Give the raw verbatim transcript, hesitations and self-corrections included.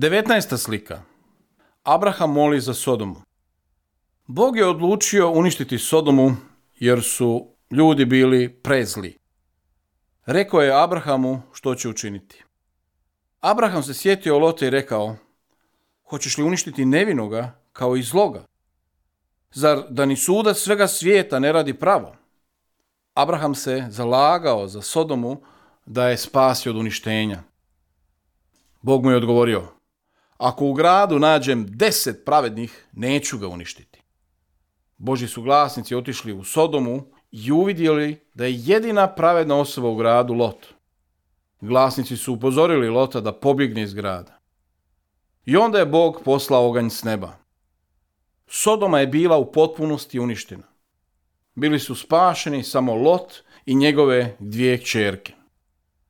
devetnaesta slika. Abraham moli za Sodomu. Bog je odlučio uništiti Sodomu jer su ljudi bili prezli. Rekao je Abrahamu što će učiniti. Abraham se sjetio Lota i rekao: hoćeš li uništiti nevinoga kao i zloga? Zar da ni sudac svega svijeta ne radi pravo? Abraham se zalagao za Sodomu da je spasi od uništenja. Bog mu je odgovorio: ako u gradu nađem deset pravednih, neću ga uništiti. Božji su glasnici otišli u Sodomu i uvidjeli da je jedina pravedna osoba u gradu Lot. Glasnici su upozorili Lota da pobjegne iz grada. I onda je Bog poslao oganj s neba. Sodoma je bila u potpunosti uništena. Bili su spašeni samo Lot i njegove dvije kćerke.